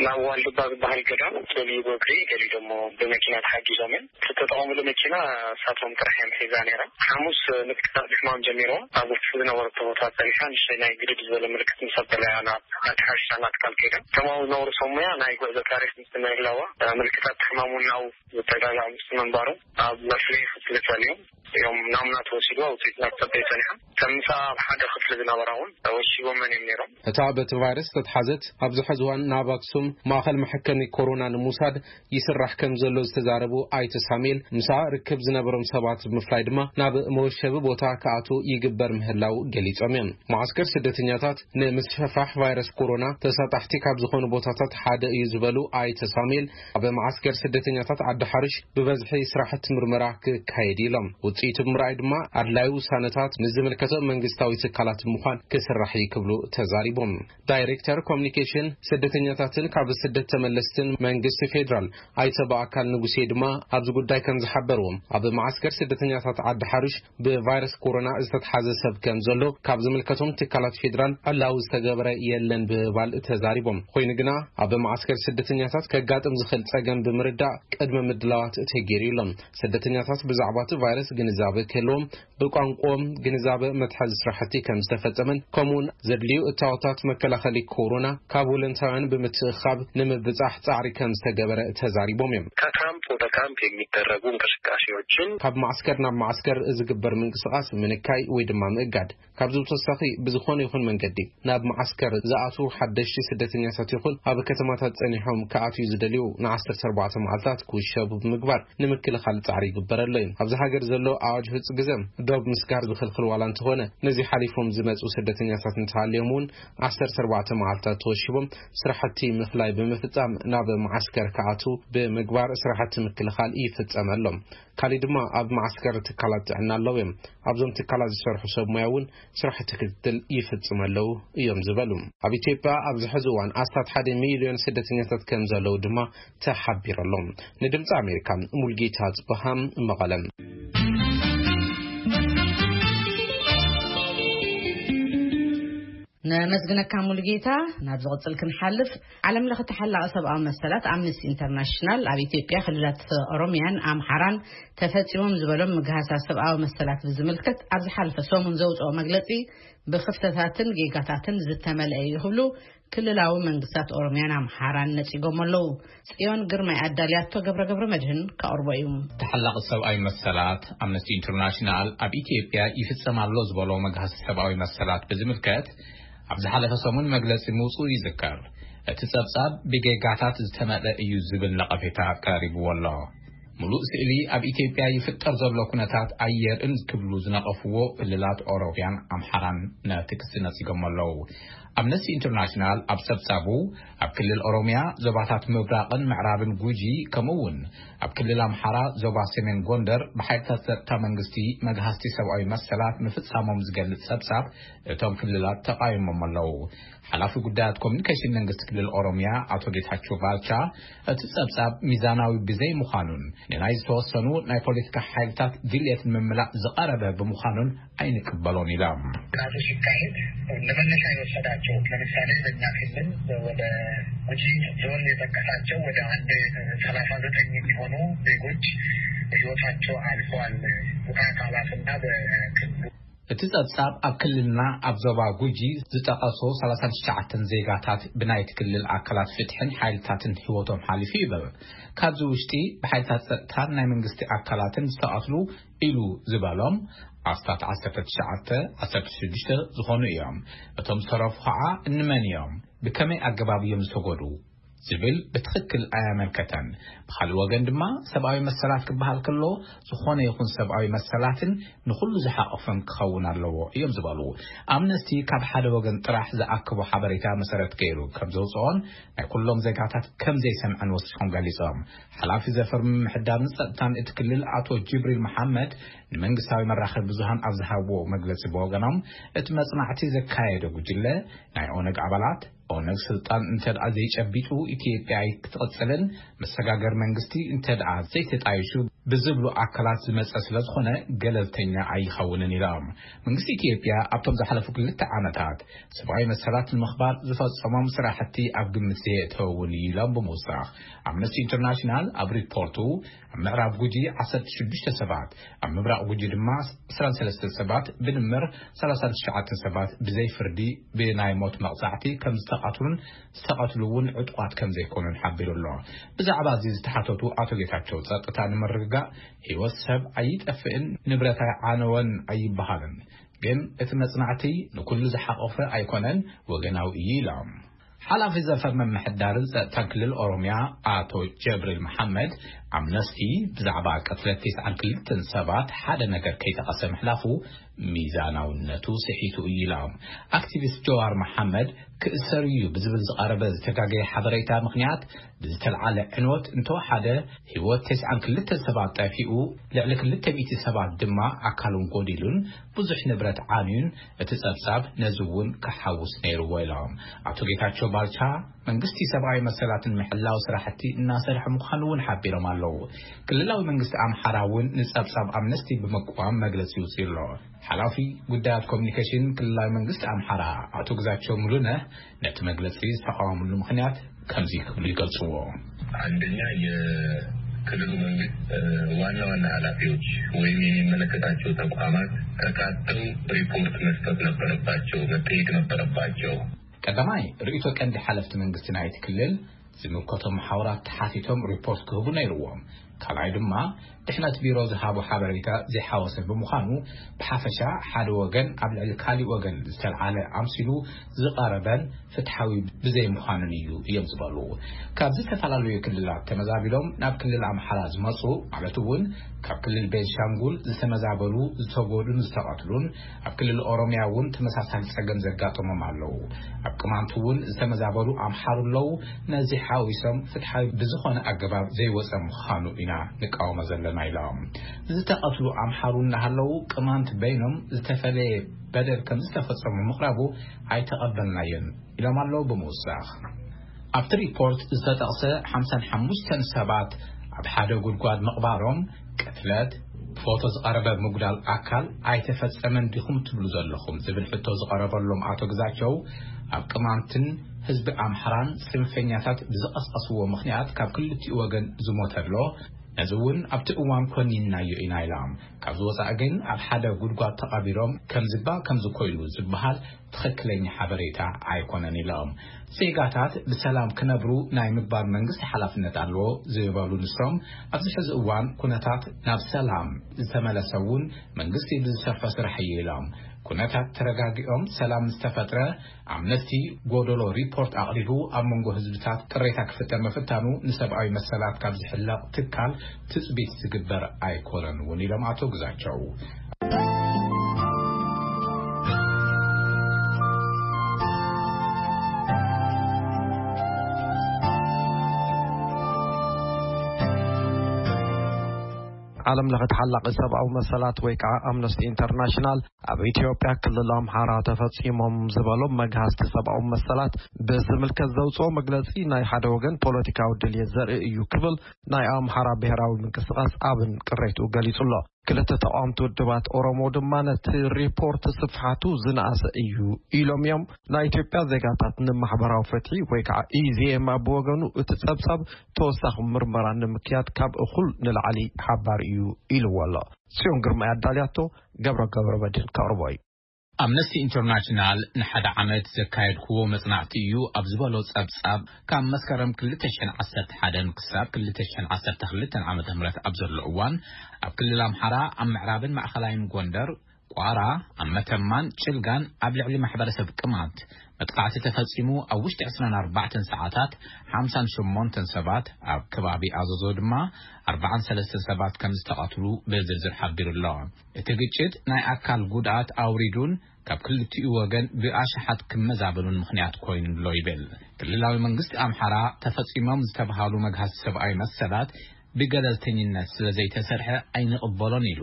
ናብ ዋልድባ ዝበሃል ገዳም ገሊኡ ብእግሪ፣ ገሊኡ ደሞ ብመኪና ተሓጊዞም እዮም። ዝተጠቐምሉ መኪና እሳቶም ጥራሕ እዮም ሒዛ ነይራ። ሓሙስ ምልክታት ሕማም ጀሚርዎ ኣብ ውሽጢ ዝነበሩ ቦታታት ጸኒሓ፣ ንእሽተይ ናይ ግድድ ዝበለ ምልክት ምስ ኣበለያ ናብ ሓንቲ ሓሽታ ናብ ትካል ከይዳ። እቶም ኣብኡ ዝነበሩ ሰብ ሞያ ናይ ጉዕዞ ታሪኽ ምስ ምህላዋ፣ ምልክታት ሕማም እውን ናብኡ ዝተጋግዐ ምስ ምንባሩ ኣብ መፍለዪ ክፍሊ ጸንዮም እዮም ናሙና ተወሲዱ ውፅኢት ናብ ጸበይ ጸኒሖም። ከም ምሳ ኣብ ሓደ ክፍሊ ዝነበራ እውን ወሺቦመን እዮም ነይሮም። እታ በቲ ቫይረስ ዝተትሓዘት ኣብዚ ሕዚ እዋን ናብ ኣክሱም ማእኸል መሐከሚ ኮሮና ንምውሳድ ይስራሕ ከም ዘሎ ዝተዛረቡ ኣይተ ሳሙኤል፣ ምሳ ርክብ ዝነበሮም ሰባት ብምፍላይ ድማ ናብ መወሸቢ ቦታ ክኣትዉ ይግበር ምህላው ገሊጾም እዮም። መዓስከር ስደተኛታት ንምስፍሕፋሕ ቫይረስ ኮሮና ተሳጣሕቲ ካብ ዝኾኑ ቦታታት ሓደ እዩ ዝበሉ ኣይተ ሳሙኤል፣ ኣብ መዓስከር ስደተኛታት ዓዲ ሓርሽ ብበዝሒ ስራሕቲ ምርመራ ክካየድ ኢሎም። ውፅኢቱ ብምርኣይ ድማ ኣድላዩ ውሳነታት ምስ ዝምልከቶ መንግስታዊ ትካላት ምዃን ክስራሕ እዩ ክብሉ ተዛሪቦም። ዳይሬክተር ኮሚኒኬሽን ስደተኛታትን ካብ ስደት ተመለስትን መንግስቲ ፌዴራል ኣይተ በኣካል ንጉሴ ድማ ኣብዚ ጉዳይ ከም ዝሓበርዎም፣ ኣብ መዓስከር ስደተኛታት ዓዲ ሓርሽ ብቫይረስ ኮሮና ዝተትሓዘ ሰብ ከም ዘሎ ካብ ዝምልከቶም ትካላት ፌዴራል ዕላዊ ዝተገበረ የለን ብምባል ተዛሪቦም። ኮይኑ ግና ኣብ መዓስከር ስደተኛታት ከጋጥም ዝኽእል ጸገም ብምርዳእ ቅድመ ምድላዋት ተገይሩ ኢሎም። ስደተኛታት ብዛዕባ እቲ ቫይረስ ግንዛበ ክህልዎም ብቋንቋኦም ግንዛበ መትሓዚ ስራሕቲ ከም ዝተፈጸመን ከምኡውን ዘድልዩ እታወታት መከላኸሊ ኮሮና ካብ ወለንታውያን ብምትእኻብ ንምብጻሕ ጻዕሪ ከም ዝተገበረ ተዛሪቦም እዮም። ከካምፕ ወደ ካምፕ የሚደረጉ እንቅስቃሴዎችን ካብ ማዕስከር ናብ ማዕስከር ዝግበር ምንቅስቃስ ምንካይ ወይ ድማ ምእጋድ። ካብዚ ብተወሳኺ ብዝኾነ ይኹን መንገዲ ናብ ማዕስከር ዝኣትዉ ሓደሽቲ ስደተኛታት ይኹን ኣብ ከተማታት ጸኒሖም ክኣትዩ ዝደልዩ ን14 መዓልታት ክውሸቡ ብምግባር ንምክልኻል ጻዕሪ ይግበረሎ እዩ። ኣብዚ ሃገር ዘሎ ኣዋጅ ህጹ ግዘ ዶብ ምስጋር ዝኽልክል ዋላ እንተኾነ፣ ነዚ ሓሊፎም ዝመጹ ስደተኛታት እንተሃልዮም እውን 14 መዓልታት ተወሺቦም ስራሕቲ ምፍላይ ብምፍጻም ናብ ማዓስከር ክኣትዉ ብምግባር ስራሕቲ ምክልኻል ይፍጸመሎም። ካሊእ ድማ ኣብ ማዓስከር ትካላት ጥዕና ኣለዉ እዮም። ኣብዞም ትካላት ዝሰርሑ ሰብ ሞያ እውን ስራሕቲ ክትትል ይፍጽሙ ኣለዉ እዮም ዝበሉ። ኣብ ኢትዮጵያ ኣብዚ ሕዚ እዋን ኣስታት ሓደ ሚልዮን ስደተኛታት ከም ዘለዉ ድማ ተሓቢሩ ኣሎ። ንድምፂ ኣሜሪካ ሙልጌታ ጽበሃ፣ መቐለም። ነመስግነካ ሙሉጌታ። ናብ ዝቕጽል ክንሓልፍ፣ ዓለም ለኸ ተሓላቒ ሰብኣዊ መሰላት ኣምነስቲ ኢንተርናሽናል ኣብ ኢትዮጵያ ክልላት ኦሮሚያን ኣምሓራን ተፈጺሞም ዝበሎም ምግሃሳት ሰብኣዊ መሰላት ብዝምልከት ኣብ ዝሓለፈ ሰሙን ዘውጽኦ መግለጺ ብኽፍተታትን ጌጋታትን ዝተመልአ እዩ ክብሉ ክልላዊ መንግስታት ኦሮሚያን ኣምሓራን ነጺጎም ኣለዉ። ጽዮን ግርማይ ኣዳልያቶ፣ ገብረ ገብረ መድህን ከቕርቦ እዩ። ተሓላቒ ሰብኣዊ መሰላት ኣምነስቲ ኢንተርናሽናል ኣብ ኢትዮጵያ ይፍጸም ኣሎ ዝበሎ መግሃሲ ሰብኣዊ መሰላት ብዝምልከት ኣብ ዝሓለፈ ሰሙን መግለጺ ምውጽኡ ይዝከር። እቲ ጸብጻብ ብጌጋታት ዝተመልአ እዩ ዝብል ነቐፌታ ቀሪብዎ ኣሎ። ሙሉእ ስእሊ ኣብ ኢትዮጵያ ይፍጠር ዘሎ ኩነታት ኣየርእን ክብሉ ዝነቐፍዎ ክልላት ኦሮሚያን ኣምሓራን ነቲ ክሲ ነጺጎም ኣለዉ። ኣምነስቲ ኢንተርናሽናል ኣብ ጸብጻቡ፣ ኣብ ክልል ኦሮሚያ ዞባታት ምብራቕን ምዕራብን ጉጂ፣ ከምኡ እውን ኣብ ክልል ኣምሓራ ዞባ ሰሜን ጎንደር ብሓይልታት ጸጥታ መንግስቲ መግሃስቲ ሰብኣዊ መሰላት ምፍጻሞም ዝገልጽ ጸብጻብ እቶም ክልላት ተቓይሞም ኣለዉ። ሓላፊ ጉዳያት ኮሚኒኬሽን መንግስቲ ክልል ኦሮሚያ ኣቶ ጌታቸው ባልቻ፣ እቲ ጸብጻብ ሚዛናዊ ብዘይ ምዃኑን ንናይ ዝተወሰኑ ናይ ፖለቲካ ሓይልታት ድልየት ንምምላእ ዝቐረበ ብምዃኑን ኣይንቅበሎን ኢሎም። ጥናቱ ሲካሄድ ለመነሻ የወሰዳቸው፣ ለምሳሌ በእኛ ክልል ወደ ጉጂ ዞን የጠቀሳቸው ወደ አንድ 39 የሚሆኑ ዜጎች ህይወታቸው አልፏል። በአካላትና በክልሉ እቲ ጸብጻብ ኣብ ክልልና ኣብ ዞባ ጉጂ ዝጠቐሶ 39 ዜጋታት ብናይቲ ክልል ኣካላት ፍትሕን ሓይልታትን ህይወቶም ሓሊፉ ይብል። ካብዚ ውሽጢ ብሓይልታት ጸጥታን ናይ መንግስቲ ኣካላትን ዝተቐትሉ ኢሉ ዝበሎም ኣስታት 19፣ 16 ዝኾኑ እዮም። እቶም ዝተረፉ ኸዓ እንመን እዮም፣ ብከመይ ኣገባብ እዮም ዝተጎዱ ዝብል ብትኽክል ኣያመልከተን። ብኻልእ ወገን ድማ ሰብኣዊ መሰላት ክበሃል ከሎ ዝኾነ ይኹን ሰብኣዊ መሰላትን ንኹሉ ዝሓቐፈን ክኸውን ኣለዎ እዮም ዝበሉ። ኣምነስቲ ካብ ሓደ ወገን ጥራሕ ዝኣክቦ ሓበሬታ መሰረት ገይሩ ከም ዘውፅኦን ናይ ኩሎም ዜጋታት ከም ዘይሰምዐን ወሲኾም ገሊጾም። ሓላፊ ዘፈር ምምሕዳርን ጸጥታን እቲ ክልል ኣቶ ጅብሪል መሓመድ ንመንግስታዊ መራኸቢ ብዙሃን ኣብ ዝሃብዎ መግለጺ ብወገኖም፣ እቲ መጽናዕቲ ዘካየደ ጉጅለ ናይ ኦነግ ኣባላት፣ ኦነግ ስልጣን እንተ ደኣ ዘይጨቢጡ ኢትዮጵያ ኣይክትቕጽልን መሰጋገር መንግስቲ እንተ ደኣ ዘይተጣይሹ ብዝብሉ ኣካላት ዝመጸ ስለ ዝኾነ ገለልተኛ ኣይኸውንን ኢሎም። መንግስቲ ኢትዮጵያ ኣብቶም ዝሓለፉ ክልተ ዓመታት ሰብኣዊ መሰላት ንምኽባር ዝፈጸሞም ስራሕቲ ኣብ ግምት ዘየእተወ እውን እዩ ኢሎም ብምውሳኽ፣ ኣምነስቲ ኢንተርናሽናል ኣብ ሪፖርቱ ኣብ ምዕራብ ጉጂ 16 ሰባት፣ ኣብ ምብራቕ ጉጂ ድማ 23 ሰባት፣ ብድምር 39 ሰባት ብዘይ ፍርዲ ብናይ ሞት መቕጻዕቲ ከም ዝተቐትሉን ዝተቐትሉ እውን ዕጡቓት ከም ዘይኮኑን ሓቢሩ ኣሎ። ብዛዕባ እዚ ዝተሓተቱ ኣቶ ጌታቸው፣ ጸጥታ ንምርግጋእ ህይወት ሰብ ኣይጠፍእን፣ ንብረት ኣይዓነወን ኣይበሃልን፣ ግን እቲ መጽናዕቲ ንኩሉ ዝሓቆፈ ኣይኮነን፣ ወገናዊ እዩ ኢሎም። ሓላፊ ዘፈር ምምሕዳርን ጸጥታን ክልል ኦሮምያ ኣቶ ጀብሪል መሓመድ፣ ኣምነስቲ ብዛዕባ ቅትለት ተስዓን ክልተን ሰባት ሓደ ነገር ከይጠቐሰ ምሕላፉ ሚዛናውነቱ ስሒቱ እዩ ኢሎም። ኣክቲቪስት ጀዋር መሓመድ ክእሰር እዩ ብዝብል ዝቐረበ ዝተጋገየ ሓበሬታ ምኽንያት ብዝተልዓለ ዕንወት እንተወሓደ ህይወት ተስዓን ክልተን ሰባት ጠፊኡ፣ ልዕሊ ክልተ ሚእቲ ሰባት ድማ ኣካሎም ጎዲሉን ብዙሕ ንብረት ዓንዩን እቲ ጸብጻብ ነዚ እውን ክሓውስ ነይርዎ ኢሎም። ኣቶ ጌታቸው ባልቻ መንግስቲ ሰብኣዊ መሰላትን ምሕላው ስራሕቲ እናሰርሐ ምዃኑ እውን ሓቢሮም ኣለዉ። ክልላዊ መንግስቲ ኣምሓራ እውን ንጸብጻብ ኣምነስቲ ብምቅዋም መግለጺ ይውፅእ ኣሎ። ሓላፊ ጉዳያት ኮሚኒኬሽን ክልላዊ መንግስቲ ኣምሓራ ኣቶ ግዛቸው ሙሉነህ ነቲ መግለጺ ዝተቃወምሉ ምኽንያት ከምዚ ክብሉ ይገልጽዎ። አንደኛ የክልሉ መንግስት ዋና ዋና ኃላፊዎች ወይም የሚመለከታቸው ተቋማት ተካተው ሪፖርት መስጠት ነበረባቸው፣ መጠየቅ ነበረባቸው። ቀዳማይ ርእይቶ ቀንዲ ሓለፍቲ መንግስቲ ናይቲ ክልል ዝምልከቶም መሓውራት ተሓቲቶም ሪፖርት ክህቡ ነይርዎም። ካልኣይ ድማ ድሕነት ቢሮ ዝሃቦ ሓበሬታ ዘይሓወሰ ብምዃኑ ብሓፈሻ ሓደ ወገን ኣብ ልዕሊ ካሊእ ወገን ዝተልዓለ ኣምሲሉ ዝቐረበን ፍትሓዊ ብዘይምዃኑን እዩ እዮም ዝበሉ። ካብ ዝተፈላለዩ ክልላት ተመዛቢሎም ናብ ክልል ኣምሓራ ዝመፁ ማለት እውን ካብ ክልል ቤንሻንጉል ዝተመዛበሉ ዝተጎዱን ዝተቐትሉን ኣብ ክልል ኦሮምያ እውን ተመሳሳሊ ጸገም ዘጋጠሞም ኣለዉ። ኣብ ቅማንት እውን ዝተመዛበሉ ኣምሓሩ ኣለዉ። ነዚ ሓዊሶም ፍትሓዊ ብዝኾነ ኣገባብ ዘይወፀ ምዃኑ ኢና ንቃወሞ ዘለና ኢሎም። ዝተቐትሉ ኣምሓሩ እናሃለዉ ቅማንት በይኖም ዝተፈለየ በደል ከም ዝተፈጸሙ ምቕራቡ ኣይተቐበልናዮን ኢሎም ኣለዉ። ብምውሳኽ ኣብቲ ሪፖርት ዝተጠቕሰ ሓምሳን ሓሙሽተን ሰባት ኣብ ሓደ ጉድጓድ ምቕባሮም ቅትለት፣ ብፎቶ ዝቐረበ ምጉዳል ኣካል ኣይተፈጸመን ዲኹም ትብሉ ዘለኹም ዝብል ሕቶ ዝቐረበሎም ኣቶ ግዛቸው ኣብ ቅማንትን ህዝቢ ኣምሓራን ጽንፈኛታት ብዝቐስቀስዎ ምኽንያት ካብ ክልቲኡ ወገን ዝሞተ ኣሎ። ነዚ እውን ኣብቲ እዋን ኮኒንናዮ ኢና ኢሎም። ካብዚ ወፃኢ ግን ኣብ ሓደ ጉድጓድ ተቐቢሮም ከምዝባ ከምዚ ኮይኑ ዝበሃል ትኽክለኛ ሓበሬታ ኣይኮነን ኢሎም። ዜጋታት ብሰላም ክነብሩ ናይ ምግባር መንግስቲ ሓላፍነት ኣለዎ ዝበሉ ንሶም፣ ኣብዚ ሕዚ እዋን ኩነታት ናብ ሰላም ዝተመለሰ እውን መንግስቲ ብዝሰርሖ ስራሕ እዩ ኢሎም። ኩነታት ተረጋጊኦም ሰላም ዝተፈጥረ ኣምነስቲ ጎደሎ ሪፖርት ኣቕሪቡ ኣብ መንጎ ህዝብታት ቅሬታ ክፍጠር ምፍታኑ ንሰብኣዊ መሰላት ካብ ዝሕለቕ ትካል ትጽቢት ዝግበር ኣይኮነን እውን ኢሎም ኣቶ ግዛቸው። ዓለም ለኸ ተሓላቒ ሰብኣዊ መሰላት ወይ ከዓ ኣምነስቲ ኢንተርናሽናል ኣብ ኢትዮጵያ ክልል ኣምሓራ ተፈጺሞም ዝበሎም መግሃስቲ ሰብኣዊ መሰላት ብዝምልከት ዘውፅኦ መግለጺ ናይ ሓደ ወገን ፖለቲካዊ ድልየት ዘርኢ እዩ ክብል ናይ ኣምሓራ ብሔራዊ ምንቅስቃስ ኣብን ቅሬትኡ ገሊጹ ኣሎ። ክልተ ተቃወምቲ ውድባት ኦሮሞ ድማ ነቲ ሪፖርት ስፍሓቱ ዝነኣሰ እዩ ኢሎም እዮም። ናይ ኢትዮጵያ ዜጋታት ንማሕበራዊ ፍትሒ ወይ ከዓ ኢዜማ ብወገኑ እቲ ጸብጻብ ተወሳኺ ምርመራ ንምክያድ ካብ እኹል ንላዕሊ ሓባር እዩ ኢልዎ ኣሎ። ጽዮን ግርማ ኣዳልያቶ፣ ገብረ ገብረ መድህን ከቕርቦ እዩ። ኣምነስቲ ኢንተርናሽናል ንሓደ ዓመት ዘካየድክዎ መጽናዕቲ እዩ ኣብ ዝበሎ ጸብጻብ፣ ካብ መስከረም ክልተ ሽሕን ዓሰርተ ሓደን ክሳብ ክልተ ሽሕን ዓሰርተ ክልተን ዓመተ ምህረት ኣብ ዘሎ እዋን ኣብ ክልል ኣምሓራ ኣብ ምዕራብን ማእኸላይን ጎንደር፣ ቋራ፣ ኣብ መተማን ጭልጋን ኣብ ልዕሊ ማሕበረሰብ ቅማንት መጥቃዕቲ ተፈጺሙ ኣብ ውሽጢ ዕስራን ኣርባዕተን ሰዓታት ሓምሳን ሸሞንተን ሰባት፣ ኣብ ከባቢ ኣዘዞ ድማ ኣርባዓን ሰለስተን ሰባት ከም ዝተቐትሉ ብዝርዝር ሓቢሩ ኣሎ። እቲ ግጭት ናይ ኣካል ጉድኣት ኣውሪዱን ካብ ክልቲኡ ወገን ብኣሽሓት ክመዛበሉን ምኽንያት ኮይኑ ኣሎ ይብል። ክልላዊ መንግስቲ ኣምሓራ ተፈጺሞም ዝተብሃሉ መግሃስቲ ሰብኣዊ መሰላት ብገለልተኝነት ስለ ዘይተሰርሐ ኣይንቕበሎን ኢሉ።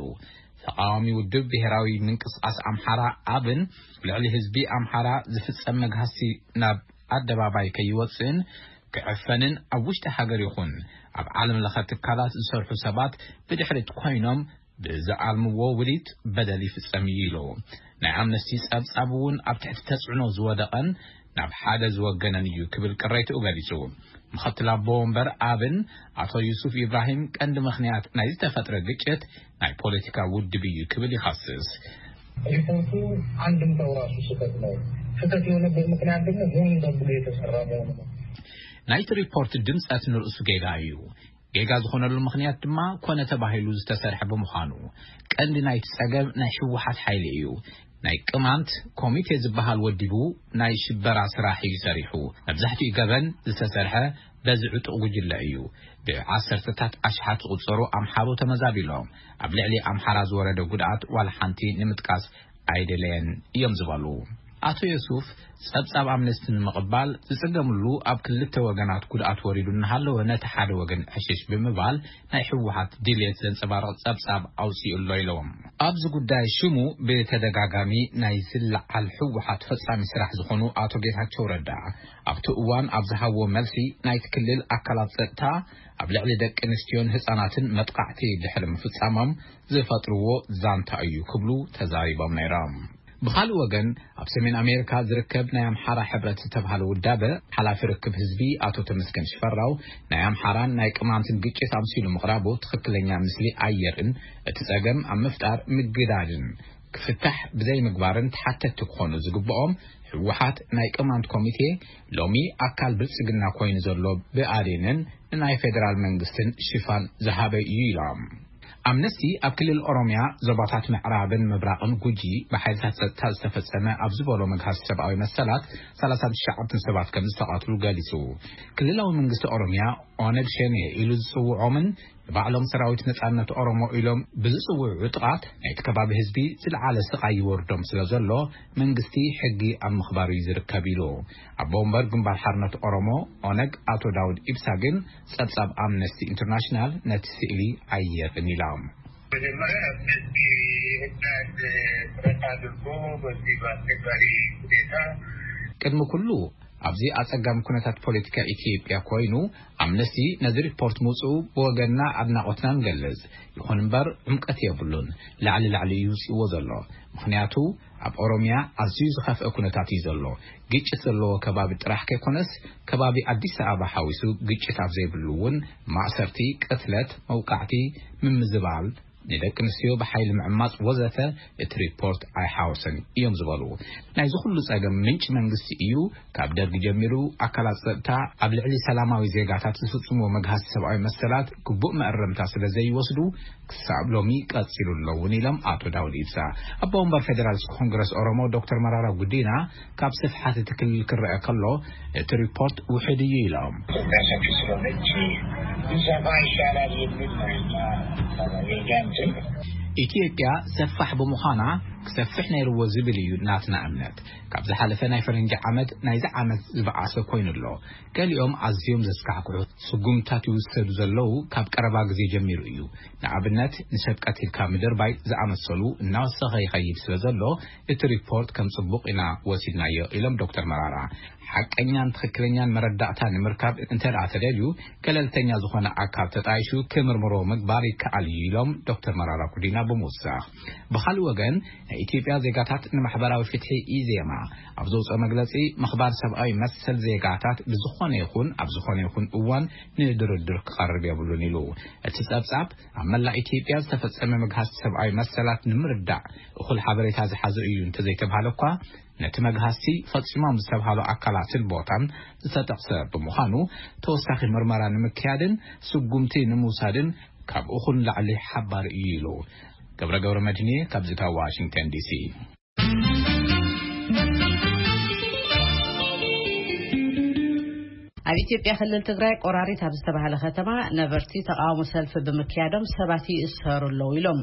ተቃዋሚ ውድብ ብሔራዊ ምንቅስቃስ ኣምሓራ ኣብን ልዕሊ ህዝቢ ኣምሓራ ዝፍጸም መግሃስቲ ናብ ኣደባባይ ከይወፅእን ክዕፈንን ኣብ ውሽጢ ሃገር ይኹን ኣብ ዓለም ለኸ ትካላት ዝሰርሑ ሰባት ብድሕሪት ኮይኖም ብዝኣልምዎ ውዲት በደል ይፍጸም እዩ ኢሉ። ናይ ኣምነስቲ ጸብጻብ እውን ኣብ ትሕቲ ተጽዕኖ ዝወደቐን ናብ ሓደ ዝወገነን እዩ ክብል ቅሬትኡ ገሊጹ። ምኽትል ኣቦ ወንበር ኣብን ኣቶ ዩሱፍ ኢብራሂም ቀንዲ ምኽንያት ናይ ዝተፈጥረ ግጭት ናይ ፖለቲካ ውድብ እዩ ክብል ይኸስስ። ሪፖርቱ አንድምታው ራሱ ስህተት ነው። ስህተት የሆነበት ምክንያት ደግሞ ሆን ተብሎ የተሰራ መሆኑ ነው። ናይቲ ሪፖርት ድምጸት ንርእሱ ጌጋ እዩ። ጌጋ ዝኾነሉ ምኽንያት ድማ ኮነ ተባሂሉ ዝተሰርሐ ብምዃኑ፣ ቀንዲ ናይቲ ጸገም ናይ ህወሓት ሓይሊ እዩ። ናይ ቅማንት ኮሚቴ ዝበሃል ወዲቡ ናይ ሽበራ ስራሕ እዩ ሰሪሑ። መብዛሕትኡ ገበን ዝተሰርሐ በዚ ዕጡቕ ጉጅለ እዩ። ብዓሰርተታት ኣሽሓት ዝቑጸሩ ኣምሓሩ ተመዛቢሎም። ኣብ ልዕሊ ኣምሓራ ዝወረደ ጉድኣት ዋላ ሓንቲ ንምጥቃስ ኣይደለየን እዮም ዝበሉ ኣቶ የሱፍ፣ ጸብጻብ ኣምነስቲ ንምቕባል ዝጽገምሉ ኣብ ክልተ ወገናት ጉድኣት ወሪዱ እናሃለወ፣ ነቲ ሓደ ወገን ዕሽሽ ብምባል ናይ ህወሓት ድልየት ዘንጸባርቕ ጸብጻብ ኣውጺኡ ኣሎ ኢሎም። ኣብዚ ጉዳይ ሽሙ ብተደጋጋሚ ናይ ዝለዓል ህወሓት ፈጻሚ ስራሕ ዝኾኑ ኣቶ ጌታቸው ረዳ፣ ኣብቲ እዋን ኣብ ዝሃብዎ መልሲ፣ ናይቲ ክልል ኣካላት ጸጥታ ኣብ ልዕሊ ደቂ ኣንስትዮን ህጻናትን መጥቃዕቲ ድሕሪ ምፍጻሞም ዝፈጥርዎ ዛንታ እዩ ክብሉ ተዛሪቦም ነይሮም። ብኻልእ ወገን፣ ኣብ ሰሜን ኣሜሪካ ዝርከብ ናይ ኣምሓራ ሕብረት ዝተባህለ ውዳበ ሓላፊ ርክብ ህዝቢ ኣቶ ተመስገን ሽፈራው፣ ናይ ኣምሓራን ናይ ቅማንትን ግጭት ኣምሲሉ ምቕራቡ ትኽክለኛ ምስሊ ኣየርን እቲ ጸገም ኣብ ምፍጣር ምግዳድን ክፍታሕ ብዘይምግባርን ተሓተቲ ክኾኑ ዝግብኦም ህወሓት ናይ ቅማንት ኮሚቴ ሎሚ ኣካል ብልጽግና ኮይኑ ዘሎ ብኣዴንን ንናይ ፌደራል መንግስትን ሽፋን ዝሃበ እዩ ኢሎም። ኣምነስቲ ኣብ ክልል ኦሮሚያ ዞባታት ምዕራብን ምብራቕን ጉጂ ብሓይልታት ጸጥታ ዝተፈጸመ ኣብ ዝበሎ መግሃስ ሰብኣዊ መሰላት ሰላሳ ትሽዓተ ሰባት ከም ዝተቐትሉ ገሊጹ። ክልላዊ መንግስቲ ኦሮሚያ ኦነግ ሸኔ ኢሉ ዝጽውዖምን ንባዕሎም ሰራዊት ነጻነት ኦሮሞ ኢሎም ብዝጽውዑ ጥቓት ናይቲ ከባቢ ህዝቢ ዝለዓለ ስቓይ ይወርዶም ስለ ዘሎ መንግስቲ ሕጊ ኣብ ምኽባር እዩ ዝርከብ ኢሉ። ኣቦ ወንበር ግንባር ሓርነት ኦሮሞ ኦነግ ኣቶ ዳውድ ኢብሳ ግን ጸብጻብ ኣምነስቲ ኢንተርናሽናል ነቲ ስእሊ ኣየርን ኢሎም። መጀመሪያ አምነስቲ ኢንተርናሽናል ጥረት አድርጎ በዚህ በአስቸጋሪ ሁኔታ ቅድሚ ኩሉ ኣብዚ ኣጸጋሚ ኩነታት ፖለቲካ ኢትዮጵያ ኮይኑ ኣምነስቲ ነዚ ሪፖርት ምውጽኡ ብወገንና ኣድናቖትና ንገልጽ። ይኹን እምበር ዕምቀት የብሉን። ላዕሊ ላዕሊ እዩ ይውጽእዎ ዘሎ። ምኽንያቱ ኣብ ኦሮሚያ ኣዝዩ ዝኸፍአ ኩነታት እዩ ዘሎ። ግጭት ዘለዎ ከባቢ ጥራሕ ከይኮነስ ከባቢ ኣዲስ ኣበባ ሓዊሱ ግጭት ኣብ ዘይብሉ እውን ማእሰርቲ፣ ቅትለት፣ መውቃዕቲ፣ ምምዝባል፣ ንደቂ ኣንስትዮ ብሓይሊ ምዕማጽ ወዘተ እቲ ሪፖርት ኣይሓወሰን እዮም ዝበሉ። ናይዚ ኩሉ ጸገም ምንጪ መንግስቲ እዩ። ካብ ደርጊ ጀሚሩ ኣካላት ጸጥታ ኣብ ልዕሊ ሰላማዊ ዜጋታት ዝፍጽምዎ መግሃስ ሰብኣዊ መሰላት ግቡእ መእረምታ ስለ ዘይወስዱ ክሳብ ሎሚ ቀጺሉ ኣሎ እውን ኢሎም ኣቶ ዳውድ ኢብሳ። ኣቦ ወንበር ፌደራሊስት ኮንግረስ ኦሮሞ ዶክተር መራራ ጉዲና ካብ ስፍሓት እቲ ክልል ክረአ ከሎ እቲ ሪፖርት ውሕድ እዩ ኢሎም። ኢትዮጵያ ሰፊ ስለሆነች ቢሰፋ ይሻላል የሚል ነው የኛ፣ የኛ እንትን። ኢትዮጵያ ሰፋሕ ብምዃና ክሰፍሕ ነይርዎ ዝብል እዩ ናትና እምነት። ካብ ዝሓለፈ ናይ ፈረንጂ ዓመት ናይዚ ዓመት ዝበኣሰ ኮይኑ ኣሎ። ገሊኦም ኣዝዮም ዘስካሕክሑ ስጉምታት ይውሰዱ ዘለዉ ካብ ቀረባ ግዜ ጀሚሩ እዩ። ንኣብነት ንሰብ ቀቲልካ ምድርባይ ዝኣመሰሉ እናወሰኸ ይኸይድ ስለ ዘሎ እቲ ሪፖርት ከም ጽቡቕ ኢና ወሲድናዮ ኢሎም ዶክተር መራራ። ሓቀኛን ትኽክለኛን መረዳእታ ንምርካብ እንተ ደኣ ተደልዩ ገለልተኛ ዝኾነ ኣካል ተጣይሹ ክምርምሮ ምግባር ይከኣል እዩ ኢሎም ዶክተር መራራ ጉዲና ብምውሳኽ። ብኻልእ ወገን ናይ ኢትዮጵያ ዜጋታት ንማሕበራዊ ፍትሒ ኢዜማ ኣብ ዘውፅኦ መግለፂ ምኽባር ሰብኣዊ መሰል ዜጋታት ብዝኾነ ይኹን ኣብ ዝኾነ ይኹን እዋን ንድርድር ክቐርብ የብሉን ኢሉ። እቲ ጸብጻብ ኣብ መላእ ኢትዮጵያ ዝተፈጸመ ምግሃስ ሰብኣዊ መሰላት ንምርዳእ እኹል ሓበሬታ ዝሓዘ እዩ እንተዘይተብሃለ እኳ ነቲ መግሃስቲ ፈጺሞም ዝተብሃሉ ኣካላትን ቦታን ዝተጠቕሰ ብምዃኑ ተወሳኺ ምርመራ ንምክያድን ስጉምቲ ንምውሳድን ካብ እኹል ንላዕሊ ሓባሪ እዩ ኢሉ። ገብረ ገብረ መድህንየ ካብዚ ካብ ዋሽንግተን ዲሲ። ኣብ ኢትዮጵያ ክልል ትግራይ ቆራሪት ኣብ ዝተባህለ ከተማ ነበርቲ ተቃውሞ ሰልፊ ብምክያዶም ሰባት ይእሰሩ ኣለዉ ኢሎም።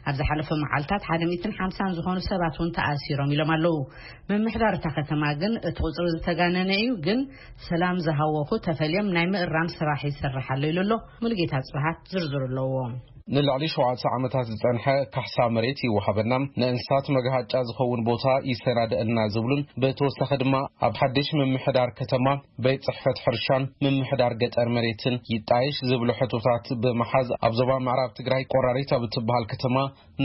ኣብ ዝሓለፈ መዓልታት ሓደ ሚእትን ሓምሳን ዝኾኑ ሰባት እውን ተኣሲሮም ኢሎም ኣለዉ። ምምሕዳር እታ ከተማ ግን እቲ ቁፅሪ ዝተጋነነ እዩ፣ ግን ሰላም ዝሃወኹ ተፈልዮም ናይ ምእራም ስራሕ ይሰርሕ ኣሎ ኢሉ ኣሎ። ሙሉጌታ ጽብሃት ዝርዝሩ ኣለዎ። ንልዕሊ ሸውዓተ ዓመታት ዝጸንሐ ካሕሳ መሬት ይወሃበና፣ ንእንስሳት መግሃጫ ዝኸውን ቦታ ይሰናደእልና ዝብሉን ብተወሳኺ ድማ ኣብ ሓድሽ ምምሕዳር ከተማ ቤት ጽሕፈት ሕርሻን ምምሕዳር ገጠር መሬትን ይጣየሽ ዝብሉ ሕቶታት ብምሓዝ ኣብ ዞባ ምዕራብ ትግራይ ቆራሪት ኣብ እትበሃል ከተማ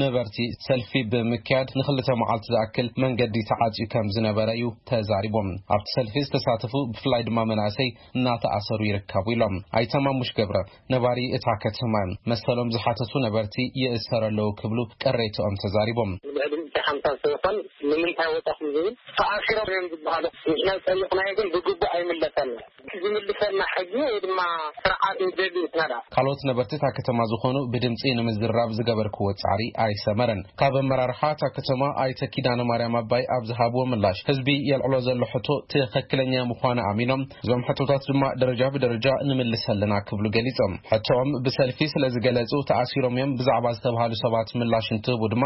ነበርቲ ሰልፊ ብምክያድ ንክልተ መዓልቲ ዝኣክል መንገዲ ተዓጽዩ ከም ዝነበረ እዩ ተዛሪቦም። ኣብቲ ሰልፊ ዝተሳተፉ ብፍላይ ድማ መናእሰይ እናተኣሰሩ ይርከቡ ኢሎም። ኣይተ ማሙሽ ገብረ ነባሪ እታ ከተማ መሰሎም ዝሓተቱ ነበርቲ ይእሰሩ ኣለዉ ክብሉ ቅሬትኦም ተዛሪቦም። ልዕሊ ሓምሳ ምፍሳስ ዘይኮን ንምንታይ ወጣኹም ዝብል ተኣሲሮም እዮም ዝበሃሉ። ንሕና ዝጠየቕናዮ ግን ብግቡእ ኣይምለሰልና። ዝምልሰልና ሕጊ ወይ ድማ ስርዓት ንደሊ ንሕና ደኣ። ካልኦት ነበርቲ እታ ከተማ ዝኾኑ ብድምፂ ንምዝራብ ዝገበርክዎ ፃዕሪ ኣይሰመረን። ካብ ኣመራርሓ እታ ከተማ ኣይተ ኪዳነ ማርያም ኣባይ ኣብ ዝሃብዎ ምላሽ፣ ህዝቢ የልዕሎ ዘሎ ሕቶ ትኽክለኛ ምዃኑ ኣሚኖም፣ እዞም ሕቶታት ድማ ደረጃ ብደረጃ ንምልስ ኣለና ክብሉ ገሊጾም። ሕቶኦም ብሰልፊ ስለ ዝገለጹ ተኣሲሮም እዮም ብዛዕባ ዝተባሃሉ ሰባት ምላሽ እንትህቡ ድማ፣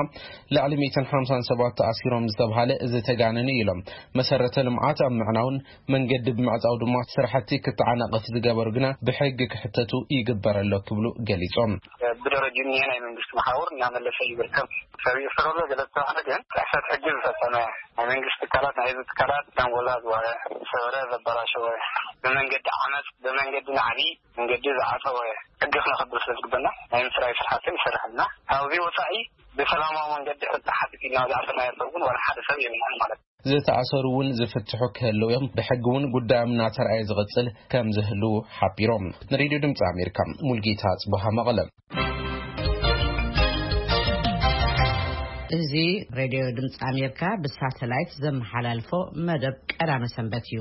ልዕሊ ሚእትን ሓምሳን ሰባት ተኣሲሮም ዝተባሃለ ዝተጋነነ እዩ ኢሎም። መሰረተ ልምዓት ኣብ ምዕናውን መንገዲ ብምዕጻው ድማ ስራሕቲ ክተዓናቐፍ ዝገበሩ ግና ብሕጊ ክሕተቱ ይግበር ኣሎ ክብሉ ገሊጾም። ብደረጅኡ እኒሀ ናይ መንግስቲ መሓውር እናመለሰ እዩ ዝርከብ። ሰብ ይእሰር ኣሎ፣ ገለ ዝተባህለ ግን ጥሕሰት ሕጊ ዝፈጸመ፣ ናይ መንግስቲ ትካላት፣ ናይ ህዝቢ ትካላት ዘንጎላ ዝበረ፣ ሰበረ፣ ዘበላሸወ፣ ብመንገዲ ዓመፅ፣ ብመንገዲ ናዕቢ፣ መንገዲ ዝዓፀወ ሕጊ ክነኽብር ስለ ዝግበና ናይ ምፅራይ ስራሕቲ ንሰርሕ ኣለና። ካብዚ ወፃኢ ብሰላማዊ መንገዲ ሕጊ ሓትት ኢልና ዝኣሰርናዮ ሰብ እውን ዋላ ሓደ ሰብ የብልናን ማለት እዩ። ዝተኣሰሩ እውን ዝፍትሑ ክህልው እዮም። ብሕጊ እውን ጉዳዮም እናተረኣየ ዝቕፅል ከም ዝህሉ ሓቢሮም። ንሬድዮ ድምፂ ኣሜሪካ ሙልጌታ ጽቡሃ መቐለ። እዚ ሬድዮ ድምፂ ኣሜሪካ ብሳተላይት ዘመሓላልፎ መደብ ቀዳመ ሰንበት እዩ።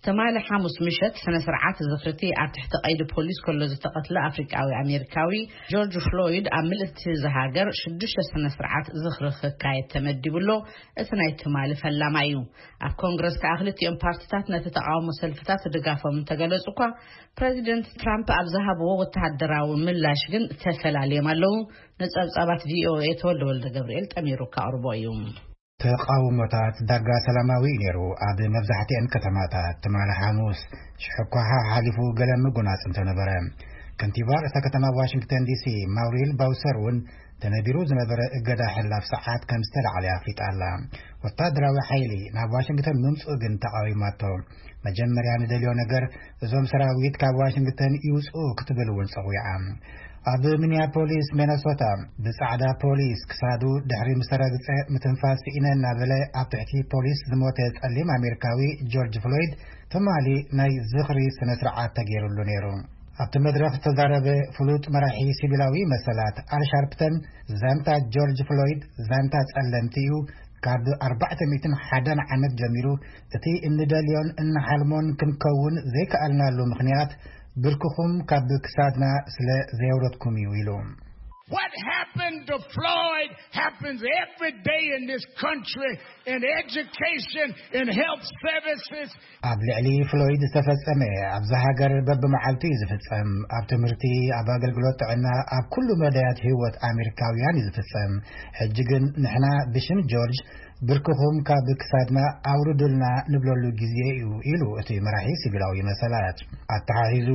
ትማሊ ሓሙስ ምሸት ስነ ስርዓት ዝኽርቲ ኣብ ትሕቲ ቀይዲ ፖሊስ ከሎ ዝተቐትለ ኣፍሪቃዊ ኣሜሪካዊ ጆርጅ ፍሎይድ ኣብ ምልእቲ እዛ ሃገር ሽዱሽተ ስነ ስርዓት ዝኽሪ ክካየድ ተመዲቡ ኣሎ። እቲ ናይ ትማሊ ፈላማ እዩ። ኣብ ኮንግረስ ከኣ ክልቲኦም ፓርቲታት ነቲ ተቃውሞ ሰልፍታት ድጋፎም እንተገለጹ እኳ፣ ፕረዚደንት ትራምፕ ኣብ ዝሃብዎ ወተሃደራዊ ምላሽ ግን ተፈላልዮም ኣለዉ። ንጸብጻባት ቪኦኤ ተወልደ ወልደ ገብርኤል ጠሚሩ ከቕርቦ እዩ። ተቃውሞታት ዳርጋ ሰላማዊ እዩ ነይሩ። ኣብ መብዛሕትአን ከተማታት ትማሊ ሓሙስ ሽሕኳ ሓሓሊፉ ገለ ምጉናጽ እንተነበረ፣ ከንቲባ ርእሰ ከተማ ዋሽንግተን ዲሲ ማውሪል ባውሰር እውን ተነቢሩ ዝነበረ እገዳ ሕላፍ ሰዓት ከም ዝተላዕለ ኣፍሊጣ ኣላ። ወታደራዊ ሓይሊ ናብ ዋሽንግተን ምምጽኡ ግን ተቃዊማቶ። መጀመርያ ንደልዮ ነገር እዞም ሰራዊት ካብ ዋሽንግተን ይውጽኡ ክትብል እውን ጸዊዓ። ኣብ ሚኒያፖሊስ ሚነሶታ ብጻዕዳ ፖሊስ ክሳዱ ድሕሪ ምስ ተረግጸ ምትንፋስ ስኢነ እናበለ ኣብ ትሕቲ ፖሊስ ዝሞተ ጸሊም ኣሜሪካዊ ጆርጅ ፍሎይድ ትማሊ ናይ ዝኽሪ ስነ ስርዓት ተገይሩሉ ነይሩ። ኣብቲ መድረኽ ዝተዛረበ ፍሉጥ መራሒ ሲቪላዊ መሰላት ኣል ሻርፕተን ዛንታ ጆርጅ ፍሎይድ ዛንታ ጸለምቲ እዩ። ካብ ኣርባዕተ ሚእትን ሓደን ዓመት ጀሚሩ እቲ እንደልዮን እንሓልሞን ክንከውን ዘይከኣልናሉ ምኽንያት ብርክኹም ካብ ክሳድና ስለ ዘየውረድኩም እዩ ኢሉ። What happened to Floyd happens every day in this country, in education, in health services. ኣብ ልዕሊ ፍሎይድ ዝተፈጸመ ኣብዛ ሃገር በብመዓልቱ እዩ ዝፍጸም። ኣብ ትምህርቲ፣ ኣብ ኣገልግሎት ጥዕና፣ ኣብ ኩሉ መዳያት ህይወት ኣሜሪካውያን እዩ ዝፍጸም። ሕጂ ግን ንሕና ብሽም ጆርጅ ብርክኹም ካብ ክሳድና ኣውርዱልና ንብለሉ ግዜ እዩ ኢሉ እቲ መራሒ ሲቪላዊ መሰላት። ኣተሓሒዙ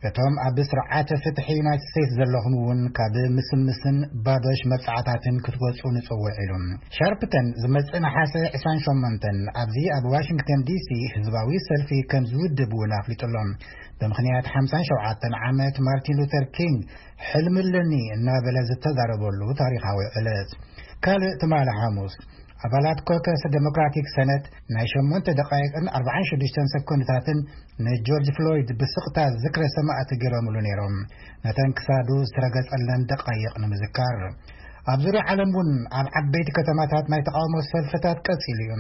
እቶም ኣብ ስርዓተ ፍትሒ ዩናይትድ ስቴትስ ዘለኹም እውን ካብ ምስምስን ባዶሽ መብጻዕታትን ክትወጹ ንጽውዕ ኢሉ። ሻርፕተን ዝመጽእ ነሓሰ ዕስራን ሸሞንተን ኣብዚ ኣብ ዋሽንግተን ዲሲ ህዝባዊ ሰልፊ ከም ዝውድብ እውን ኣፍሊጡ ኣሎ። ብምኽንያት ሓምሳን ሸውዓተን ዓመት ማርቲን ሉተር ኪንግ ሕልሚ ኣለኒ እናበለ ዝተዛረበሉ ታሪኻዊ ዕለት። ካልእ ትማሊ ሓሙስ ኣባላት ኮከስ ዴሞክራቲክ ሰነት ናይ ሸሞንተ ደቃይቅን ኣርባዓን ሽዱሽተን ሰኮንድታትን ንጆርጅ ፍሎይድ ብስቕታ ዝክረ ሰማእቲ ገይሮምሉ ነይሮም። ነተን ክሳዱ ዝተረገጸለን ደቃይቕ ንምዝካር። ኣብ ዙርያ ዓለም እውን ኣብ ዓበይቲ ከተማታት ናይ ተቃውሞ ሰልፍታት ቀጺሉ እዩ።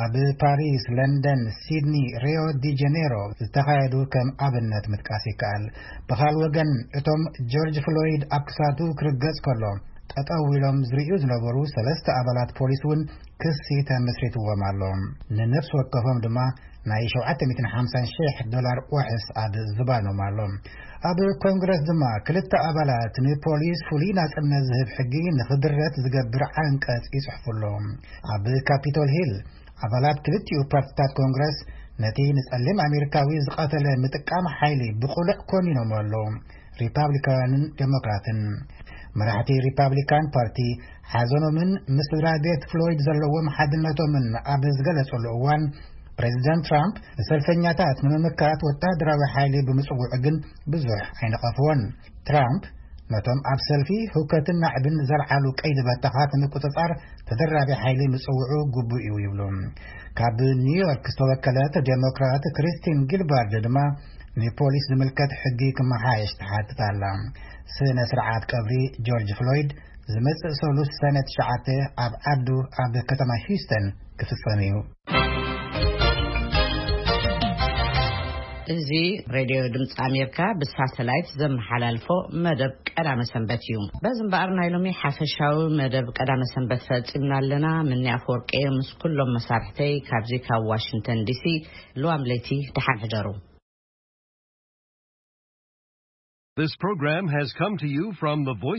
ኣብ ፓሪስ፣ ለንደን፣ ሲድኒ፣ ሪዮ ዲ ጀኔሮ ዝተኻየዱ ከም ኣብነት ምጥቃስ ይከኣል። ብኻል ወገን እቶም ጆርጅ ፍሎይድ ኣብ ክሳዱ ክርገጽ ከሎ ጠጠው ኢሎም ዝርእዩ ዝነበሩ ሰለስተ ኣባላት ፖሊስ እውን ክሲ ተመስሪትዎም ኣሎ። ንነፍሲ ወከፎም ድማ ናይ ሸውዓተ ሚእትን ሓምሳን ሽሕ ዶላር ዋሕስ ኣብ ዝባኖም ኣሎ። ኣብ ኮንግረስ ድማ ክልተ ኣባላት ንፖሊስ ፍሉይ ናጽነት ዝህብ ሕጊ ንኽድረት ዝገብር ዓንቀጽ ይጽሕፉ ኣለዉ። ኣብ ካፒቶል ሂል ኣባላት ክልቲኡ ፓርቲታት ኮንግረስ ነቲ ንጸሊም ኣሜሪካዊ ዝቐተለ ምጥቃም ሓይሊ ብቕሉዕ ኮኒኖም ኣለዉ። ሪፓብሊካውያንን ዴሞክራትን። መራሕቲ ሪፓብሊካን ፓርቲ ሓዘኖምን ምስ ስድራ ቤት ፍሎይድ ዘለዎም ሓድነቶምን ኣብ ዝገለጸሉ እዋን፣ ፕሬዚደንት ትራምፕ ንሰልፈኛታት ንምምካት ወታደራዊ ሓይሊ ብምጽውዑ ግን ብዙሕ ኣይነቐፍዎን። ትራምፕ ነቶም ኣብ ሰልፊ ህውከትን ናዕብን ዘልዓሉ ቀይዲ በተኻት ንምቁጽጻር ተደራቢ ሓይሊ ምጽውዑ ግቡእ እዩ ይብሉ። ካብ ኒውዮርክ ዝተወከለት ዴሞክራት ክሪስቲን ጊልባርድ ድማ ንፖሊስ ዝምልከት ሕጊ ክመሓየሽ ትሓትት ኣላ። ስነ ስርዓት ቀብሪ ጆርጅ ፍሎይድ ዝመጽእ ሰሉስ ሰነ ትሽዓተ ኣብ ዓዱ ኣብ ከተማ ሂውስተን ክፍጸም እዩ። እዚ ሬድዮ ድምፂ ኣሜሪካ ብሳተላይት ዘመሓላልፎ መደብ ቀዳመ ሰንበት እዩ። በዚ እምበኣር ናይ ሎሚ ሓፈሻዊ መደብ ቀዳመ ሰንበት ፈጺምና ኣለና። ምኒ ኣፈወርቂ ምስ ኩሎም መሳርሕተይ ካብዚ ካብ ዋሽንግተን ዲሲ። ልዋም ለይቲ ደሓን ሕደሩ። This program has come to you from the Voice